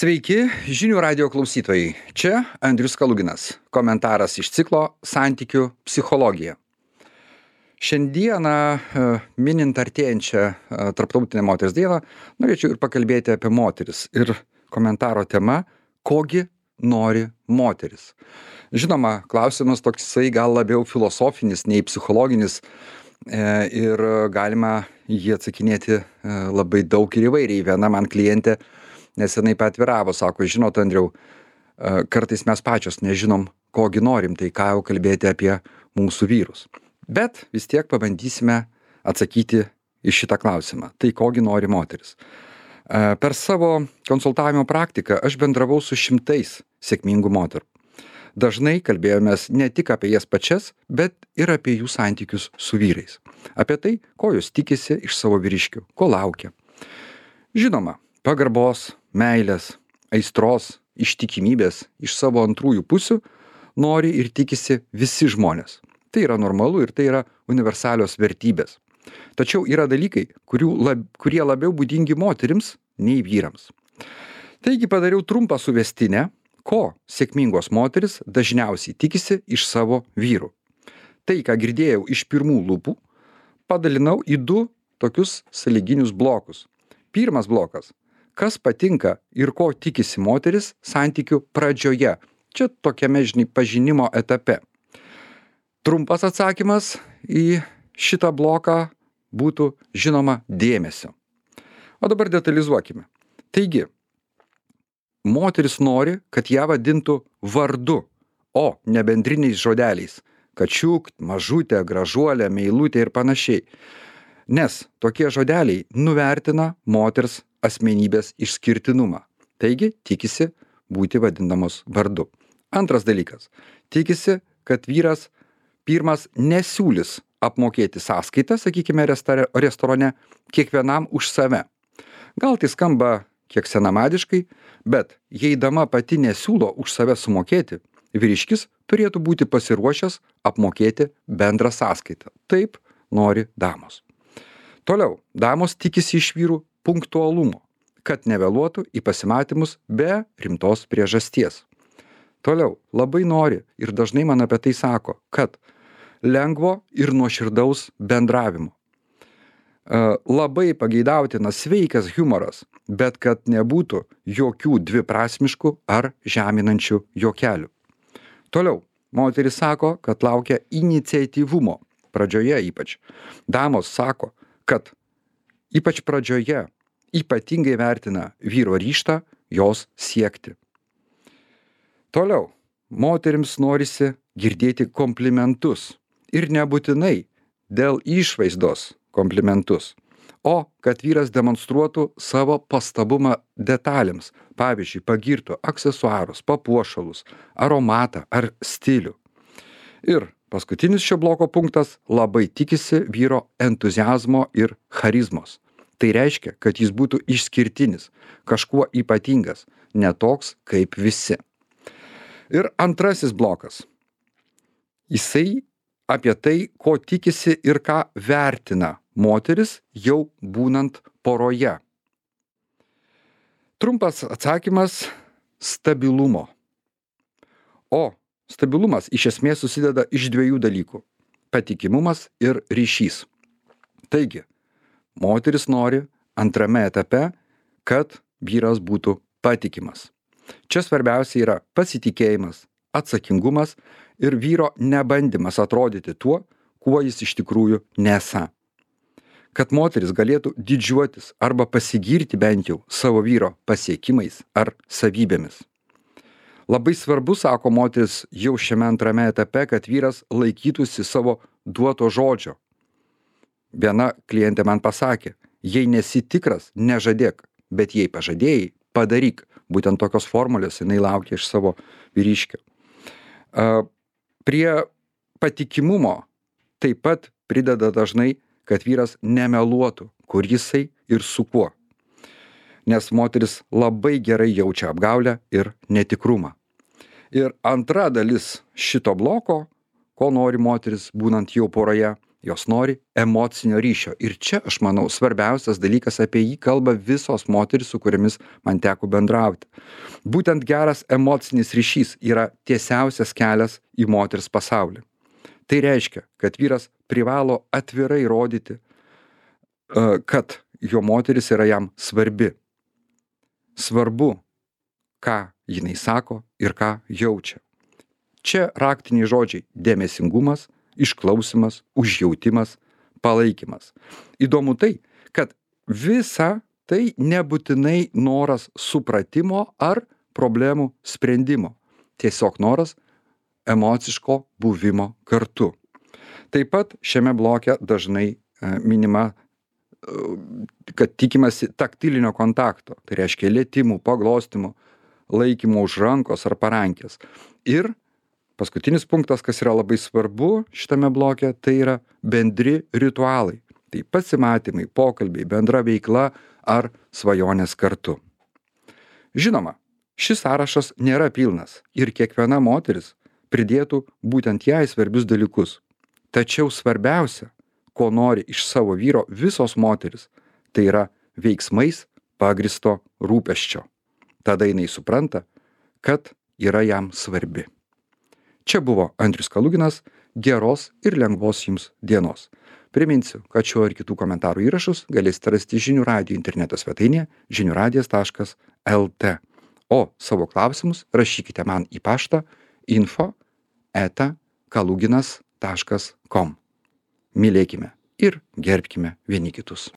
Sveiki, žinių radio klausytojai. Čia Andrius Kaluginas. Komentaras iš ciklo Santykių psichologija. Šiandieną, minint artėjančią Tarptautinę moters dieną, norėčiau ir pakalbėti apie moteris. Ir komentaro tema – kogi nori moteris. Žinoma, klausimas toksai gal labiau filosofinis nei psichologinis ir galima jį atsakinėti labai daug ir įvairiai. Viena man klientė nesenai paatviravo, sako, žinot, Andriau, kartais mes pačios nežinom, kogi norim, tai ką jau kalbėti apie mūsų vyrus. Bet vis tiek pabandysime atsakyti į šitą klausimą. Tai kogi nori moteris. Per savo konsultavimo praktiką aš bendravau su šimtais sėkmingų moterų. Dažnai kalbėjomės ne tik apie jas pačias, bet ir apie jų santykius su vyrais. Apie tai, ko jos tikisi iš savo vyriškių, ko laukia. Žinoma, pagarbos, meilės, aistros, ištikimybės iš savo antrųjų pusių nori ir tikisi visi žmonės. Tai yra normalu ir tai yra universalios vertybės. Tačiau yra dalykai, kurie labiau būdingi moterims nei vyrams. Taigi padariau trumpą suvestinę, ko sėkmingos moteris dažniausiai tikisi iš savo vyrų. Tai, ką girdėjau iš pirmų lūpų, padalinau į du tokius sąlyginius blokus. Pirmas blokas. Kas patinka ir ko tikisi moteris santykių pradžioje. Čia tokiame, pažinimo etape. Trumpas atsakymas į šitą bloką būtų, žinoma, dėmesio. O dabar detalizuokime. Taigi, moteris nori, kad ją vadintų vardu, o ne bendriniais žodeliais. Kačiuk, mažutė, gražuolė, meilutė ir panašiai. Nes tokie žodeliai nuvertina moters asmenybės išskirtinumą. Taigi, tikisi būti vadinamos vardu. Antras dalykas. Tikisi, kad vyras pirmas nesiūlys apmokėti sąskaitą, sakykime, restorane, kiekvienam už save. Gal tai skamba kiek senamadiškai, bet jei dama pati nesiūlo už save sumokėti, vyriškis turėtų būti pasiruošęs apmokėti bendrą sąskaitą. Taip nori damos. Toliau, damos tikisi iš vyrų punktualumo, kad nevėluotų į pasimatymus be rimtos priežasties. Toliau, labai nori ir dažnai man apie tai sako, kad lengvo ir nuoširdaus bendravimo. Labai pageidautinas sveikas humoras, bet kad nebūtų jokių dviprasmiškų ar žeminančių juokelių. Toliau, moteris sako, kad laukia iniciatyvumo, pradžioje ypač. Damos sako, kad ypač pradžioje ypatingai vertina vyro ryžtą jos siekti. Toliau, moterims norisi girdėti komplimentus ir nebūtinai dėl išvaizdos komplimentus, o kad vyras demonstruotų savo pastabumą detalėms, pavyzdžiui, pagirtų aksesuarus, papuošalus, aromatą ar stilių. Ir paskutinis šio bloko punktas labai tikisi vyro entuziazmo ir charizmos. Tai reiškia, kad jis būtų išskirtinis, kažkuo ypatingas, ne toks kaip visi. Ir antrasis blokas. Jisai apie tai, ko tikisi ir ką vertina moteris jau būnant poroje. Trumpas atsakymas – stabilumo. O stabilumas iš esmės susideda iš dviejų dalykų – patikimumas ir ryšys. Taigi, moteris nori antrame etape, kad vyras būtų patikimas. Čia svarbiausia yra pasitikėjimas, atsakingumas ir vyro nebandymas atrodyti tuo, kuo jis iš tikrųjų nesą. Kad moteris galėtų didžiuotis arba pasigirti bent jau savo vyro pasiekimais ar savybėmis. Labai svarbu, sako moteris, jau šiame antrame etape, kad vyras laikytųsi savo duoto žodžio. Viena klientė man pasakė, jei nesi tikras, nežadėk, bet jei pažadėjai, padaryk. Būtent tokios formulės jinai laukia iš savo vyriškio. Prie patikimumo taip pat prideda dažnai, kad vyras nemeluotų, kur jisai ir su kuo. Nes moteris labai gerai jaučia apgaulę ir netikrumą. Ir antra dalis šito bloko, ko nori moteris būnant jau poroje, Jos nori emocinio ryšio. Ir čia, aš manau, svarbiausias dalykas, apie jį kalba visos moterys, su kuriamis man teko bendrauti. Būtent geras emocinis ryšys yra tiesiausias kelias į moters pasaulį. Tai reiškia, kad vyras privalo atvirai rodyti, kad jo moteris yra jam svarbi. Svarbu, ką jinai sako ir ką jaučia. Čia raktiniai žodžiai – dėmesingumas, išklausimas, užjautimas, palaikymas. Įdomu tai, kad visa tai nebūtinai noras supratimo ar problemų sprendimo. Tiesiog noras emociško buvimo kartu. Taip pat šiame bloke dažnai minima, kad tikimasi taktilinio kontakto. Tai reiškia lietimų, paglostymų, laikymo už rankos ar parankės. Ir paskutinis punktas, kas yra labai svarbu šitame bloke, tai yra bendri ritualai. Tai pasimatymai, pokalbiai, bendra veikla ar svajonės kartu. Žinoma, šis sąrašas nėra pilnas ir kiekviena moteris pridėtų būtent jai svarbius dalykus. Tačiau svarbiausia, ko nori iš savo vyro visos moteris, tai yra veiksmais pagristo rūpesčio. Tada jinai supranta, kad yra jam svarbi. Čia buvo Andrius Kaluginas, geros ir lengvos jums dienos. Priminsiu, kad šio ir kitų komentarų įrašus galėsite rasti Žinių radijo interneto svetainėje žiniuradijas.lt. O savo klausimus rašykite man į paštą info@kaluginas.com. Mylėkime ir gerbkime vieni kitus.